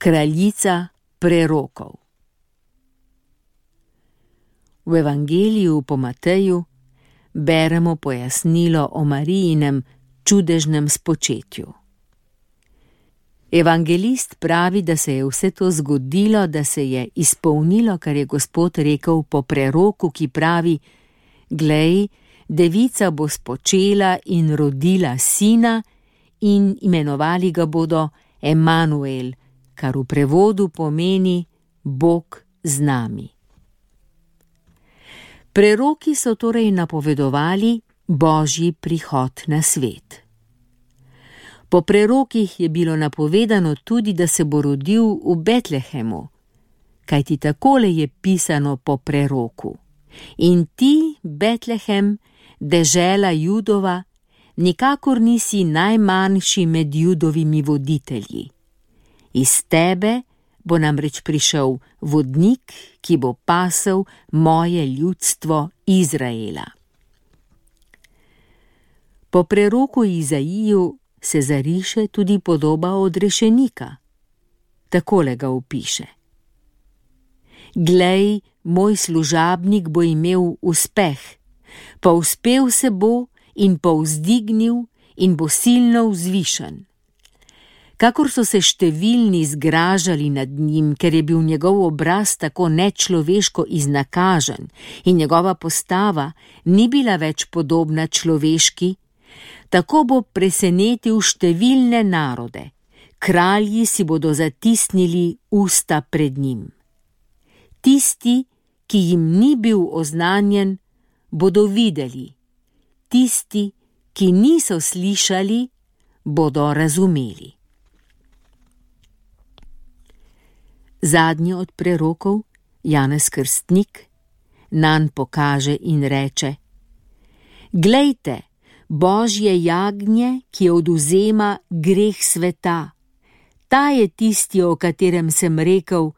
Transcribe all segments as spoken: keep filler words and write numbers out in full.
Kraljica prerokov. V Evangeliju po Mateju beremo pojasnilo o Marijinem čudežnem spočetju. Evangelist pravi, da se je vse to zgodilo, da se je izpolnilo, kar je Gospod rekel po preroku, ki pravi: Glej, devica bo spočela in rodila sina in imenovali ga bodo Emanuel, kar v prevodu pomeni Bog z nami. Preroki so torej napovedovali Božji prihod na svet. Po prerokih je bilo napovedano tudi, da se bo rodil v Betlehemu, kajti takole je pisano po preroku: In ti, Betlehem, dežela Judova, nikakor nisi najmanjši med Judovimi voditelji. Iz tebe bo namreč prišel vodnik, ki bo pasel moje ljudstvo Izraela. Po preroku Izaiju se zariše tudi podoba odrešenika. Takole ga opiše: Glej, moj služabnik bo imel uspeh, povzpel se bo in povzdignil in bo silno vzvišen. Kakor so se številni zgražali nad njim, ker je bil njegov obraz tako nečloveško iznakažen in njegova postava ni bila več podobna človeški, tako bo presenetil številne narode, kralji si bodo zatisnili usta pred njim. Tisti, ki jim ni bil oznanjen, bodo videli, tisti, ki niso slišali, bodo razumeli. Zadnji od prerokov, Janez Krstnik, nanj pokaže in reče: Glejte, Božje jagnje, ki odvzema greh sveta. Ta je tisti, o katerem sem rekel: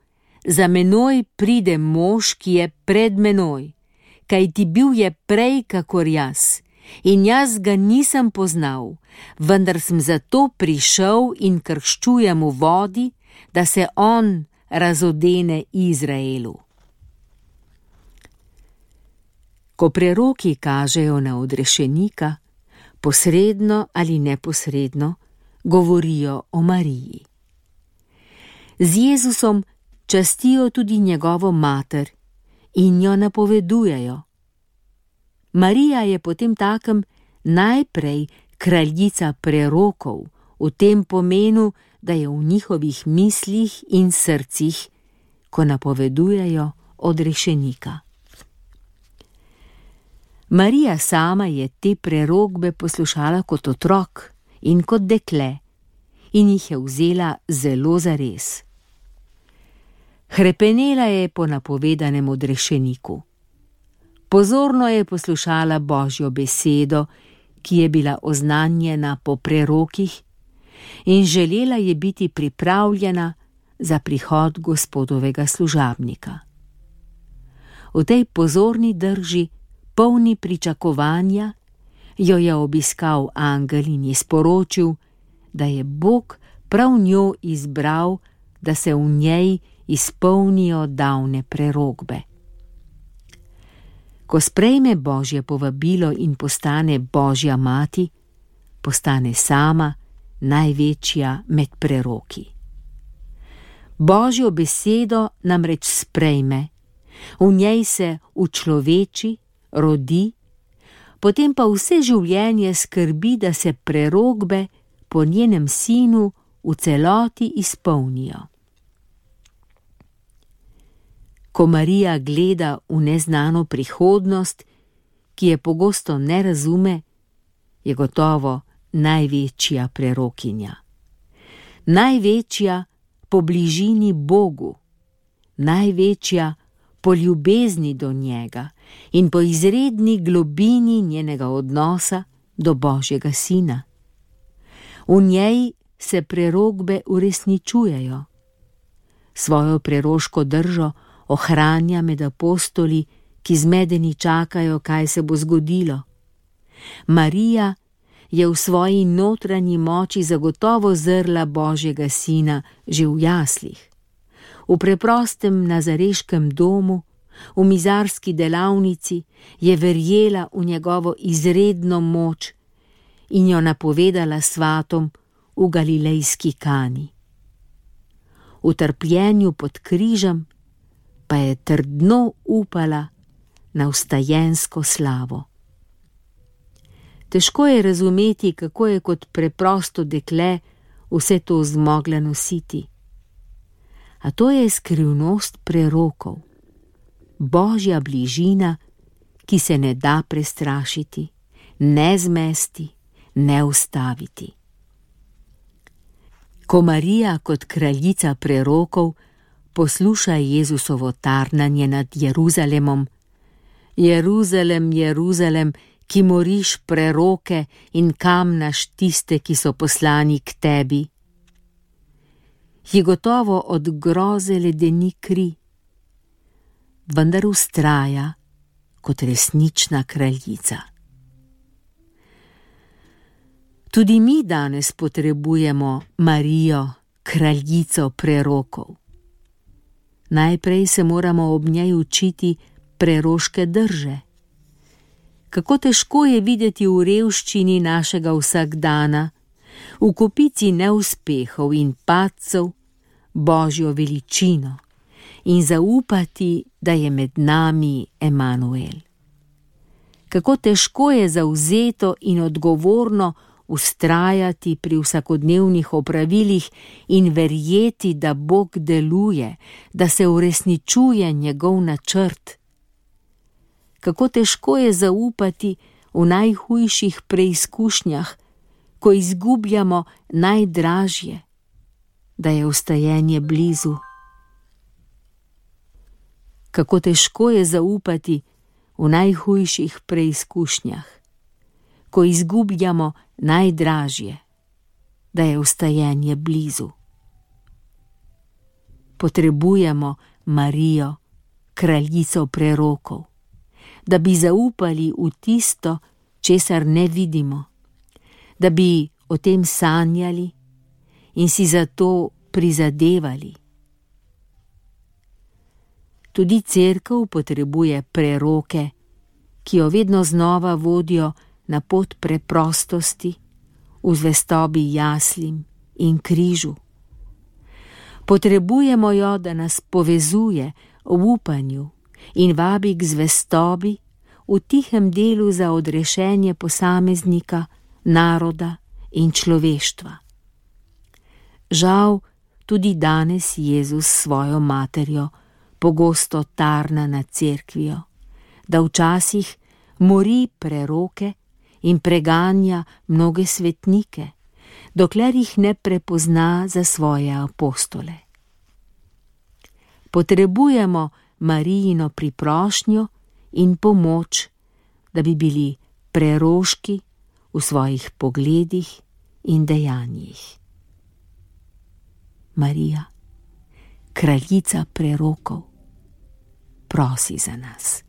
Za menoj pride mož, ki je pred menoj, kajti bil je prej kakor jaz, in jaz ga nisem poznal, vendar sem zato prišel in krščujem v vodi, da se on razodene Izraelu. Ko preroki kažejo na odrešenika, posredno ali neposredno govorijo o Mariji. Z Jezusom častijo tudi njegovo mater in jo napovedujejo. Marija je potem takem najprej kraljica prerokov, v tem pomenu, da je v njihovih mislih in srcih, ko napovedujejo odrešenika. Marija sama je te prerokbe poslušala kot otrok in kot dekle in jih je vzela zelo zares. Hrepenela je po napovedanem odrešeniku. Pozorno je poslušala Božjo besedo, ki je bila oznanjena po prerokih, in želela je biti pripravljena za prihod Gospodovega služabnika. V tej pozorni drži, polni pričakovanja, jo je obiskal angel in ji sporočil, da je Bog prav njo izbral, da se v njej izpolnijo davne prerokbe. Ko sprejme Božje povabilo in postane Božja mati, postane sama največja med preroki. Božjo besedo namreč sprejme, v njej se učloveči, rodi, potem pa vse življenje skrbi, da se prerokbe po njenem sinu v celoti izpolnijo. Ko Marija gleda v neznano prihodnost, ki je pogosto ne razume, je gotovo največja prerokinja. Največja po bližini Bogu, največja po ljubezni do njega in po izredni globini njenega odnosa do Božjega sina. V njej se prerokbe uresničujejo. Svojo preroško držo ohranja med apostoli, ki zmedeni čakajo, kaj se bo zgodilo. Marija je v svoji notranji moči zagotovo zrla Božjega sina že v jaslih. V preprostem nazareškem domu, v mizarski delavnici je verjela v njegovo izredno moč in jo napovedala svatom v galilejski Kani. V trpljenju pod križem pa je trdno upala na vstajensko slavo. Težko je razumeti, kako je kot preprosto dekle vse to zmogla nositi. A to je skrivnost prerokov, Božja bližina, ki se ne da prestrašiti, ne zmesti, ne ustaviti. Ko Marija kot kraljica prerokov posluša Jezusovo tarnanje nad Jeruzalemom: Jeruzalem, Jeruzalem, ki moriš preroke in kamnaš tiste, ki so poslani k tebi, ji gotovo od groze ledeni kri, vendar vztraja kot resnična kraljica. Tudi mi danes potrebujemo Marijo, kraljico prerokov. Najprej se moramo ob njej učiti preroške drže. Kako težko je videti v revščini našega vsakdana, v kopici neuspehov in padcev, Božjo veličino in zaupati, da je med nami Emanuel. Kako težko je zavzeto in odgovorno vztrajati pri vsakodnevnih opravilih in verjeti, da Bog deluje, da se uresničuje njegov načrt. Kako težko je zaupati v najhujših preizkušnjah, ko izgubljamo najdražje, da je vstajenje blizu. Kako težko je zaupati v najhujših preizkušnjah, ko izgubljamo najdražje, da je vstajenje blizu. Potrebujemo Marijo, kraljico prerokov, da bi zaupali v tisto, česar ne vidimo, da bi o tem sanjali in si zato prizadevali. Tudi cerkev potrebuje preroke, ki jo vedno znova vodijo na pot preprostosti, v zvestobi jaslim in križu. Potrebujemo jo, da nas povezuje v upanju in vabi k zvestobi v tihem delu za odrešenje posameznika, naroda in človeštva. Žal, tudi danes Jezus s svojo materjo pogosto tarna nad cerkvijo, da včasih mori preroke in preganja mnoge svetnike, dokler jih ne prepozna za svoje apostole. Potrebujemo Marijino priprošnjo in pomoč, da bi bili preroški v svojih pogledih in dejanjih. Marija, kraljica prerokov, prosi za nas.